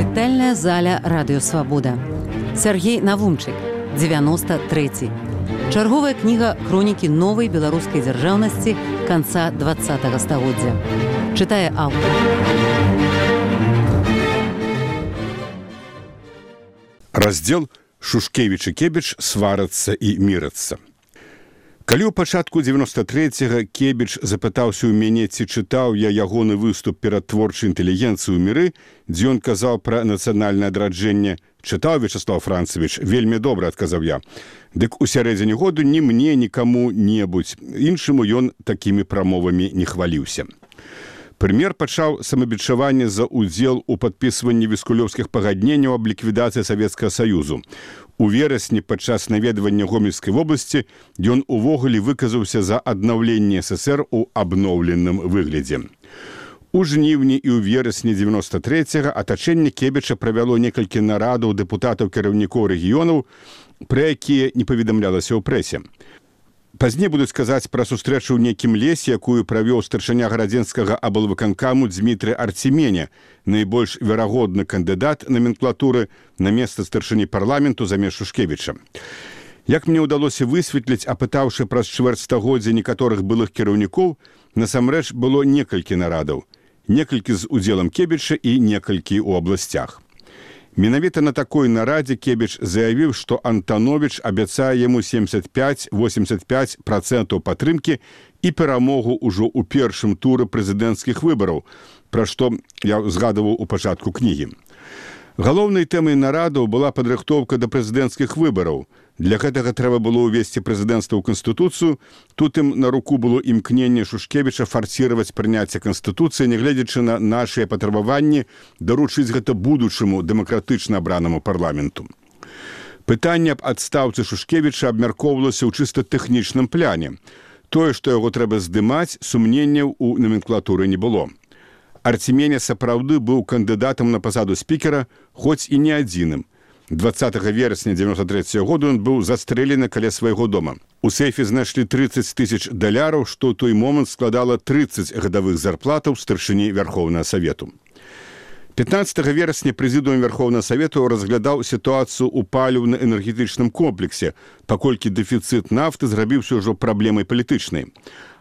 Чытальная заля радыёвабода. Сергей Навумчык, 93. Чарговая кніга хронікі новай беларускай дзяржаўнасці канца 20-го стагоддзя. Чытае аўтар. Раздзел «Шушкевіч і Кебіч сварацца і мірацца». Калі ў пачатку 93-го Кебіч запытаўся ў мяне, ці чытаў я ягоны выступ перад творчай інтэлігенцыяй у міры, дзе ён казаў пра нацыянальнае адраджэнне, чытаў, Вячаслав Францевич, вельмі добра, адказаў я. Дык у сярэдзіне году ні мне, ні каму-небудзь іншаму ён такімі прамовамі не хваліўся. Прэм'ер пачаў самабічаванне за ўдзел у падпісванні віскулёўскіх пагадненняў аб ліквідацыі Савецкага Саюзу. У верасні падчас наведвання Гомельскай вобласці ён увогуле выказаўся за аднаўленне ССР у абноўленым выглядзе. У жніўні і ў верасні 93-го атачэнне Кебіча правяло некалькі нарадаў дэпутатаў кіраўнікоў рэгіёнаў, пра якія не паведамлялася ў прэсе. Пазней будуць казаць пра сустрэчу ў нейкім лесе, якую правёў старшыня гарадзенскага аблвыканкаму Дзмітрый Арцеменя, найбольш верагодны кандыдат наменклатуры на месца старшыні парламенту замест Шушкевіча. Як мне ўдалося высветліць, апытаўшы праз чвэрць стагоддзя некаторых былых кіраўнікоў, насамрэч было некалькі нарадаў, некалькі з удзелам Кебіча і некалькі ў абласцях. Менавіта на такой нарадзе Кебіч заявіў, што Антановіч абяцае яму 75-85% падтрымкі і перамогу ўжо ў першым туры прэзідэнцкіх выбараў, пра што я згадываў у пачатку кнігі. Галоўнай тэмай нарадаў была падрыхтоўка да прэзідэнцкіх выбараў. Для гэтага трэба было ўвесці прэзідэнцтва ў Канстытуцыю. Тут ім на руку было імкненне Шушкевіча фарсіраваць прыняцце Канстытуцыі, нягледзячы на нашыя патрабаванні, даручыць гэта будучаму дэмакратычна абранаму парламенту. Пытанне аб адстаўцы Шушкевіча абмяркоўвалася ў чыста тэхнічным пляне. Тое, што яго трэба здымаць, сумненняў у наменклатуры не было. Арцеменя сапраўды быў кандыдатам на пасаду спікера, хоць і не адзіным. 20 верасня 93 году ён быў застрэлены каля свайго дома. У сейфе знайшлі $30 000, што ў той момант складала 30 гадавых зарплатаў старшыні Вярхоўнага Савету. 15 верасня прэзідыум Вярхоўнага Савету разглядаў сітуацыю ў паліўна-энергетычным комплексе, паколькі дэфіцыт нафты зрабіўся ўжо праблемай палітычнай.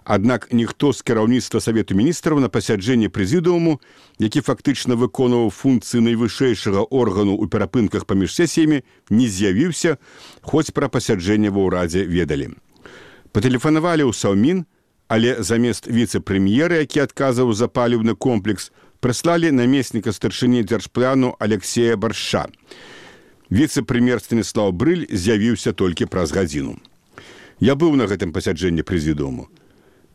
Аднак ніхто з кіраўніцтва Савету міністраў на пасяджэнні прэзідыуму, які фактычна выконваў функцыі найвышэйшага органу ў перапынках паміж сесіямі, не з'явіўся, хоць пра пасяджэнне ва ўрадзе ведалі. Патэлефанавалі ў Саўмін, але замест віцэ-прэм'ера, які адказваў за паліўны комплекс, прыслалі намесніка старшыні дзяржпляну Алексея Барша. Віцэ-прэм'ер Станіслаў Брыль з'явіўся толькі праз гадзіну. Я быў на гэтым пасяджэнні прэзідыуму.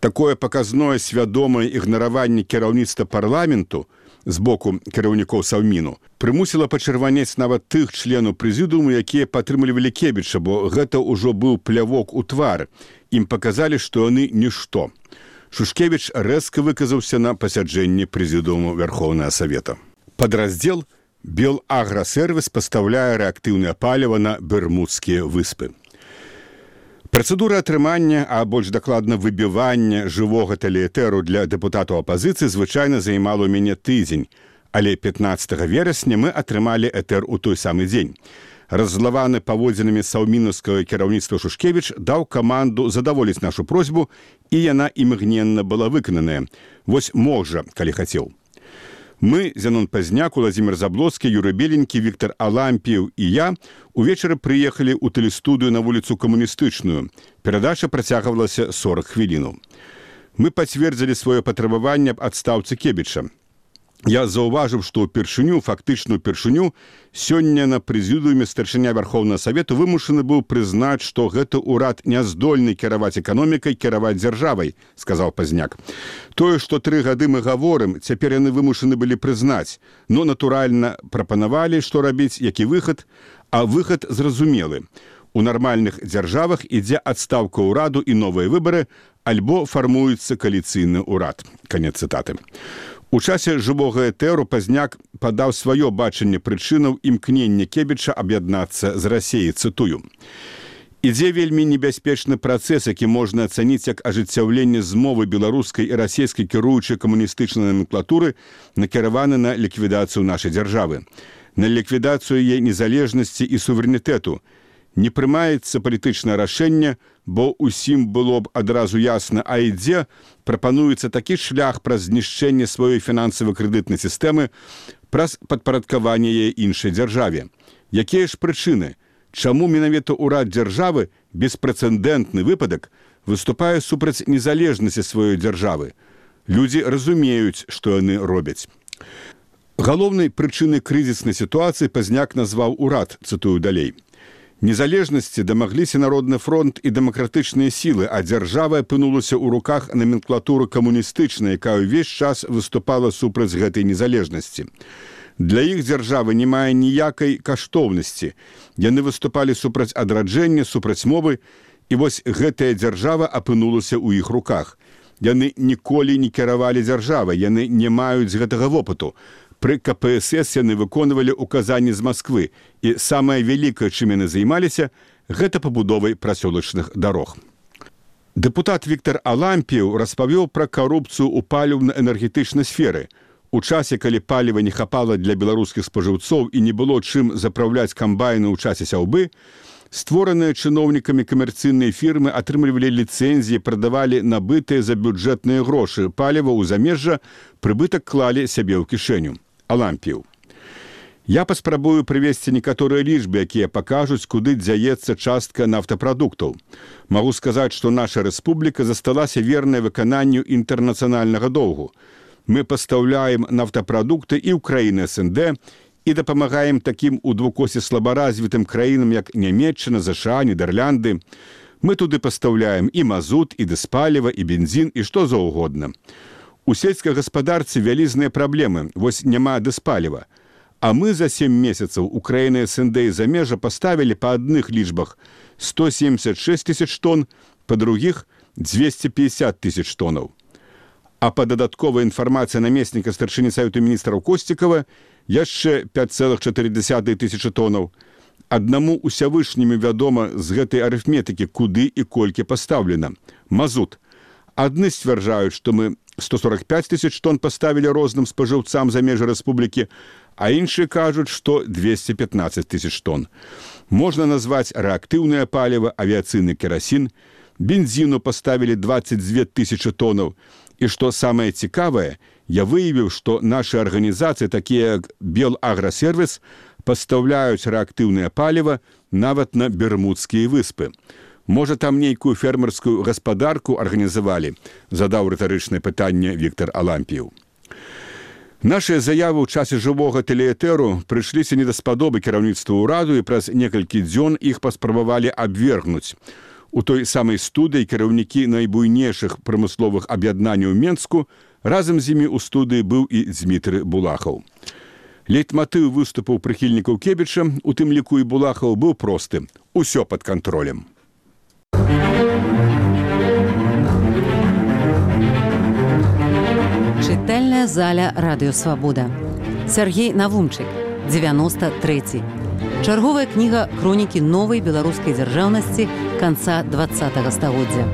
Такое паказное свядомае ігнараванне кіраўніцтва парламенту з боку кіраўнікоў Саўміну прымусіла пачырванець нават тых членаў прэзідыуму, якія падтрымлівалі Кебіча, бо гэта ўжо быў плявок у твар. Ім паказалі, што яны нішто. Шушкевіч рэзка выказаўся на пасяджэнні прэзідыуму Вярхоўнага Савета. Падраздзел «Белаграсервіс» пастаўляе рэактыўнае паліва на Бермудскія выспы. Працэдура атрымання, а больш дакладна выбівання жывога тэлеэтэру для дэпутатаў апазіцыі звычайна займала ў мяне тыдзень, але 15 верасня мы атрымалі этэр у той самы дзень. Раззлаваны паводзінамі саўмінаўскага кіраўніцтва Шушкевіч даў каманду задаволіць нашу просьбу, і яна імгненна была выкананая. Вось можа, калі хацеў. Мы, Зянон Пазняк, Уладзімір Заблоцкі, Юрый Беленькі, Віктор Алампіў і я увечары прыехалі ў тэлестудыю на вуліцу Камуністычную. Перадача працягвалася 40 хвілінаў. Мы пацвердзілі сваё патрабаванне аб адстаўцы Кебіча. Я заўважыў, што фактычную першыню, сёння на прэзідыуме старшыня Вярхоўнага Савету вымушаны быў прызнаць, што гэты ўрад не здольны кіраваць эканомікай, кіраваць дзяржавай, сказаў Пазняк. Тое, што 3 гады мы гаворым, цяпер яны вымушаны былі прызнаць, но натуральна прапанавалі, што рабіць, які выхад, а выхад зразумелы. У нармальных дзяржавах ідзе адстаўка ўраду і новыя выбары, альбо фармуецца кааліцыйны ўрад. Канец цытаты. У часе жывога этэру Пазняк падаў сваё бачанне прычынаў імкнення Кебіча аб'яднацца з Расіяй, цытую. Ідзе вельмі небяспечны працэс, які можна ацаніць як ажыццяўленне змовы беларускай і расійскай кіруючай камуністычнай наменклатуры, накіраваны на ліквідацыю нашай дзяржавы. на ліквідацыю яе незалежнасці і суверэнітэту. Не прымаецца палітычнае рашэнне, бо ўсім было б адразу ясна, а ідзе прапануецца такі шлях праз знішчэнне сваёй фінансава-крэдытнай сістэмы, праз падпарадкаванне яе іншай дзяржаве. Якія ж прычыны? Чаму менавіта ўрад дзяржавы, беспрэцэдэнтны выпадак, выступае супраць незалежнасці сваёй дзяржавы? Людзі разумеюць, што яны робяць. Галоўнай прычынай крызіснай сітуацыі Пазняк назваў урад, цытую далей. Незалежнасці дамагліся Народны фронт і дэмакратычныя сілы, а дзяржава апынулася ў руках номенклатуры камуністычнай, якая ўвесь час выступала супраць гэтай незалежнасці. Для іх дзяржавы не мае ніякай каштоўнасці. Яны выступалі супраць адраджэння, супраць мовы, і вось гэтая дзяржава апынулася ў іх руках. Яны ніколі не кіравалі дзяржавай, яны не маюць гэтага вопыту. Пры КПСС яны выконвалі указанні з Масквы, і самае вялікае, чым яны займаліся, гэта пабудовай прасёлачных дарог. Дэпутат Віктар Алампіў распавёў пра карупцыю ў паліўна-энергетычнай сферы. У часе, калі паліва не хапала для беларускіх спажыўцоў і не было чым запраўляць камбайны ў часе сяўбы, створаныя чыноўнікамі камерцыйныя фірмы атрымлівалі ліцэнзіі, прадавалі набытыя за бюджэтныя грошы паліва ў замежжа, прыбытак клалі сябе ў кішэню. Алампіў. Я паспрабую прывесці некаторыя лічбы, якія пакажуць, куды дзяецца частка нафтапрадуктаў. Магу сказаць, што наша рэспубліка засталася вернай выкананню інтэрнацыянальнага доўгу. Мы пастаўляем нафтапрадукты і ў краіны СНД, і дапамагаем такім у двукосе слабаразвітым краінам, як Нямецчына, ЗША, Нідерлянды. Мы туды пастаўляем і мазут, і дызпаліва, і бензін, і што заўгодна. У сельскай гаспадарцы вялізныя праблемы, вось няма дызпаліва. А мы за 7 месяцаў у краіны СНД і замежжа паставілі па адных лічбах 176 тысяч тонн, па другіх 250 тысяч тоннаў. А па дадатковай інфармацыі намесніка старшыні Савету міністраў Косцікава яшчэ 5,4 тысячы тоннаў. Аднаму усявышняму вядома з гэтай арыфметыкі, куды і колькі пастаўлена. Мазут. Адны сцвярджаюць, што мы 145 тысяч тонн паставілі розным спажыўцам за межы рэспублікі, а іншыя кажуць, што 215 тысяч тонн. Можна назваць рэактыўнае паліва, авіяцыйны керасін, бензіну паставілі 22 тысячы тоннаў. І што самае цікавае, я выявіў, што нашы арганізацыі, такія як Белаграсервіс, пастаўляюць рэактыўнае паліва нават на Бермудскія выспы. Можа, там нейкую фермерскую гаспадарку арганізавалі, задаў рытарычнае пытанне Віктар Алампіў. Нашыя заявы ў часе жывога тэлеэтэру прыйшліся не даспадобы кіраўніцтва ўраду, і праз некалькі дзён іх паспрабавалі абвергнуць. У той самай студыі кіраўнікі найбуйнейшых прамысловых аб'яднанняў Менску, разам з імі ў студыі быў і Дзмітрый Булахаў. Лейтматыў выступаў прыхільнікаў Кебіча, у тым ліку і Булахаў, быў просты. Усё пад кантролем. Чытальная заля Радыё Свабода. Сяргей Навумчык, 93. Чарговая кніга хронікі новай беларускай дзяржаўнасці канца 20-го стагоддзя.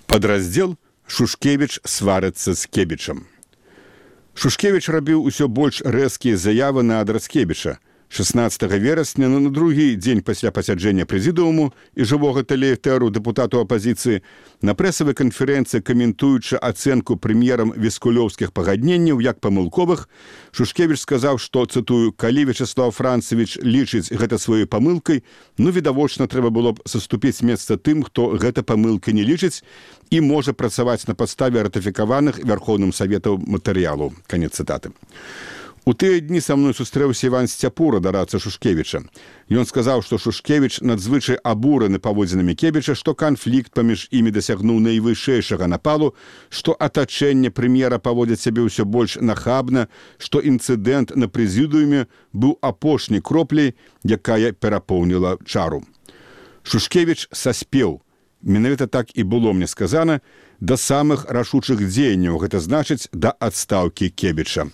Падраздзел «Шушкевіч сварыцца з Кебічам». Шушкевіч рабіў усё больш рэзкія заявы на адрас Кебіча. 16 верасня, на другі дзень пасля пасяджэння прэзідыуму і жывога тэлеэтэру дэпутату апазіцыі, на прэсавай канферэнцыі, каментуючы ацэнку прэм'ерам віскулёўскіх пагадненняў як памылковых, Шушкевіч сказаў, што, цытую, «калі Вячеслав Францевіч лічыць гэта сваёй памылкай, ну, відавочна, трэба было б саступіць месца тым, хто гэта памылкай не лічыць і можа працаваць на падставе ратыфікаваных Вярхоўным Саветам матэрыялаў». Канец цытаты. У тыя дні са мной сустрэўся Іван Сцяпура, дарадца Шушкевіча. Ён сказаў, што Шушкевіч надзвычай абураны паводзінамі Кебіча, што канфлікт паміж імі дасягнуў найвышэйшага напалу, што атачэнне прэм'ера паводзіць сябе ўсё больш нахабна, што інцыдэнт на прэзідыуме быў апошняй кропляй, якая перапоўніла чару. Шушкевіч саспеў. Менавіта так і было мне сказана, да самых рашучых дзеянняў, гэта значыць, да адстаўкі Кебіча.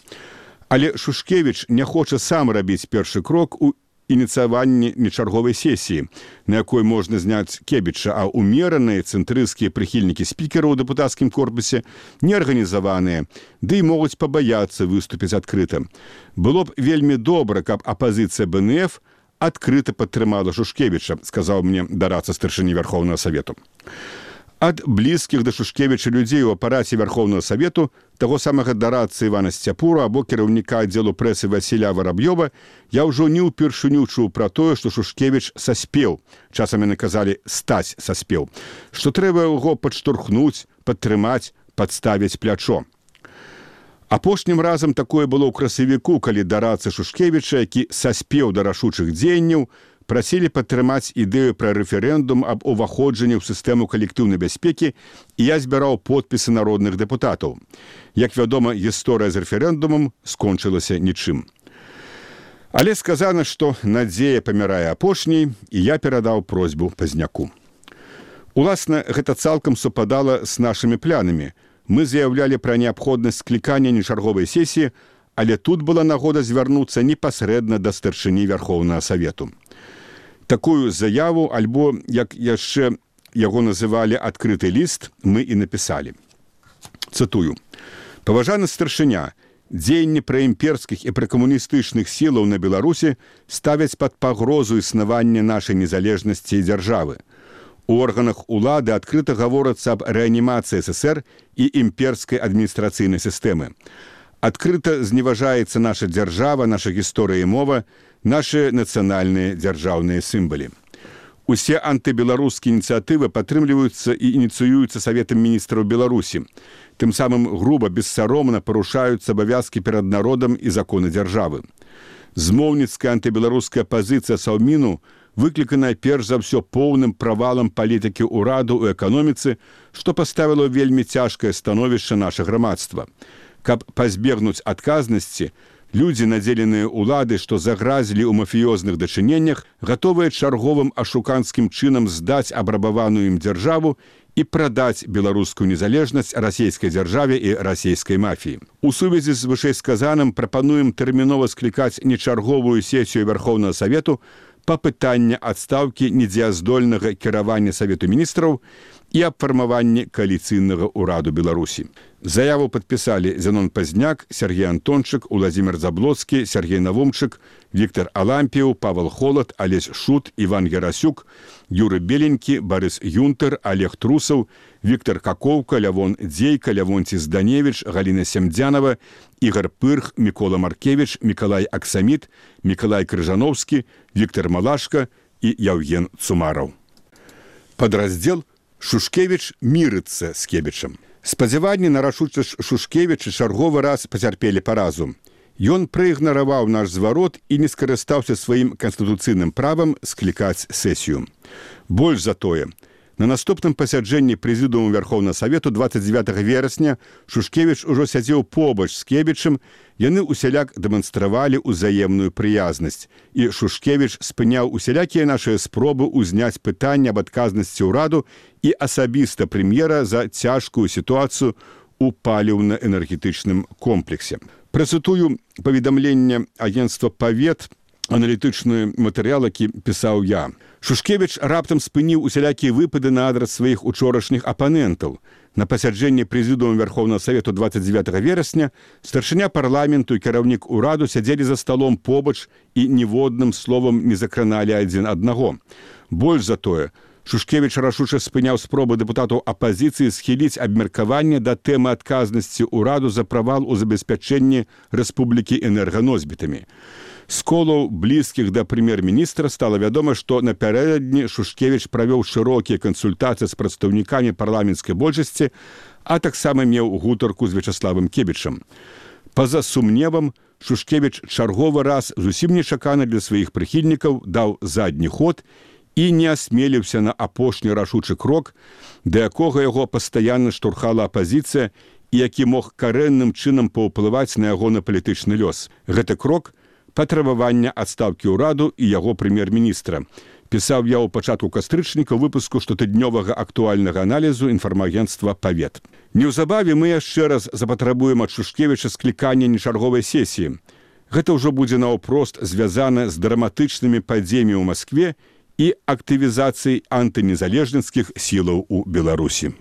Але Шушкевіч не хоча сам рабіць першы крок у ініцыяванне нечарговай сесіі, на якой можна зняць Кебіча, а умераныя цэнтрысцкія прыхільнікі спікера ў дэпутацкім корпусе неарганізаваныя, ды і могуць пабаяцца выступіць адкрыта. Было б вельмі добра, каб апазіцыя БНФ адкрыта падтрымала Шушкевіча, сказаў мне дараца старшыні Вярхоўнага Савету. Ад блізкіх да Шушкевіча людзей у апараце Вярхоўнага Савету, таго самага дарацы Івана Сцяпура або кіраўніка аддзелу прэсы Васіля Вараб'ёва, я ўжо не ўпершыню чуў пра тое, што Шушкевіч саспеў, часам яны казалі «стаць саспеў», што трэба яго падштурхнуць, падтрымаць, падставіць плячо. Апошнім разам такое было ў красавіку, калі дарацы Шушкевіча, які саспеў да рашучых дзеянняў, прасілі падтрымаць ідэю пра рэферэндум аб уваходжанні ў сістэму калектыўнай бяспекі, і я збіраў подпісы народных дэпутатаў. Як вядома, гісторыя з рэферэндумам скончылася нічым. Але сказана, што надзея памірае апошняй, і я перадаў просьбу Пазняку. Уласна, гэта цалкам супадала з нашымі планамі. Мы заяўлялі пра неабходнасць склікання нечарговай сесіі, але тут была нагода звярнуцца непасрэдна да старшыні Вярхоўнага Савету. Такую заяву, альбо, як яшчэ яго называлі адкрыты ліст, мы і напісалі. Цытую. «Паважаны старшыня, дзеянні праімперскіх і пракамуністычных сілаў на Беларусі ставяць пад пагрозу існавання нашай незалежнасці і дзяржавы. У органах улады адкрыта гаворыцца аб рэанімацыі ССР і імперскай адміністрацыйнай сістэмы. Адкрыта зневажаецца наша дзяржава, наша гісторыя і мова, нашы нацыянальныя дзяржаўныя сімвалы. Усе антыбеларускія ініцыятывы падтрымліваюцца і ініцыююцца Саветам міністраў Беларусі. Тым самым груба, бессаромна парушаюцца абавязкі перад народам і законы дзяржавы. Змоўніцкая антыбеларуская пазіцыя Саўміну выкліканая перш за ўсё поўным правалам палітыкі ўраду ў эканоміцы, што паставіла вельмі цяжкае становішча наша грамадства. Каб пазбегнуць адказнасці, людзі, надзеленыя ўлады, што загразілі ў мафіёзных дачыненнях, гатовыя чарговым ашуканскім чынам здаць абрабаваную ім дзяржаву і прадаць беларускую незалежнасць расійскай дзяржаве і расійскай мафіі. У сувязі з вышэйсказаным прапануем тэрмінова склікаць нечарговую сесію Вярхоўнага Савету па пытання адстаўкі недзеяздольнага кіравання Савету міністраў і аб фармаванні кааліцыйнага ўраду Беларусі. Заяву падпісалі Зянон Пазняк, Сергей Антончык, Уладзімір Заблоцкі, Сергей Навумчык, Віктор Алампіў, Павел Холад, Алесь Шут, Іван Герасюк, Юры Беленькі, Барыс Юнтер, Олег Трусаў, Віктор Какоўка, Лявон Дзейка, Лявонці Зданевіч, Галіна Семдзянова, Ігор Пырх, Мікола Маркевіч, Мікалай Аксаміт, Мікалай Крыжановскі, Віктор Малашка і Яўген Цумараў. Падраздзел «Шушкевіч мірыцца з Кебічам». Спадзяванні на рашучасць Шушкевіча чарговы раз пацярпелі паразу. Ён праігнараваў наш зварот і не скарыстаўся сваім канстытуцыйным правам склікаць сесію. Больш за тое, на наступным пасяджэнні прэзідыуму Вярхоўнага Савету 29 верасня Шушкевіч ужо сядзеў побач з Кебічам, яны усяляк дэманстравалі ўзаемную прыязнасць, і Шушкевіч спыняў усялякія нашыя спробы ўзняць пытанне аб адказнасці ўраду і асабіста прэм'ера за цяжкую сітуацыю ў паліўна-энергетычным комплексе. Працытую паведамленне агенцтва «Павет», аналітычны матэрыял, які пісаў я. Шушкевіч раптам спыніў усялякія выпады на адрас сваіх учорашніх апанентаў. На пасяджэнні прэзідыума Вярхоўнага Савету 29 верасня старшыня парламенту і кіраўнік ураду сядзелі за сталом побач і ніводным словам не закраналі адзін аднаго. Больш за тое, Шушкевіч рашуча спыняў спробы дэпутатаў апазіцыі схіліць абмеркаванне да тэмы адказнасці ўраду за правал у забеспячэнні рэспублікі энерганосьбітамі. З колаў блізкіх да прэм'ер-міністра стала вядома, што напярэдадні Шушкевіч правёў шырокія кансультацыі з прадстаўнікамі парламенцкай большасці, а таксама меў гутарку з Вячаславам Кебічам. Па-за сумневам, Шушкевіч чарговы раз зусім нечакана для сваіх прыхільнікаў даў задні ход і не асмеліўся на апошні рашучы крок, да якога яго пастаянна штурхала апазіцыя і які мог карэнным чынам паўплываць на ягоны палітычны лёс. Гэты крок – патрабавання адстаўкі ўраду і яго прэм'ер-міністра. Пісаў я ў пачатку кастрычніка выпуску штотыднёвага актуальнага аналізу інфармагенцтва «Павет». Неўзабаве мы яшчэ раз запатрабуем ад Шушкевіча склікання нечарговай сесіі. Гэта ўжо будзе наўпрост звязана з драматычнымі падзеямі ў Маскве і актывізацыяй антынезалежніцкіх сілаў у Беларусі.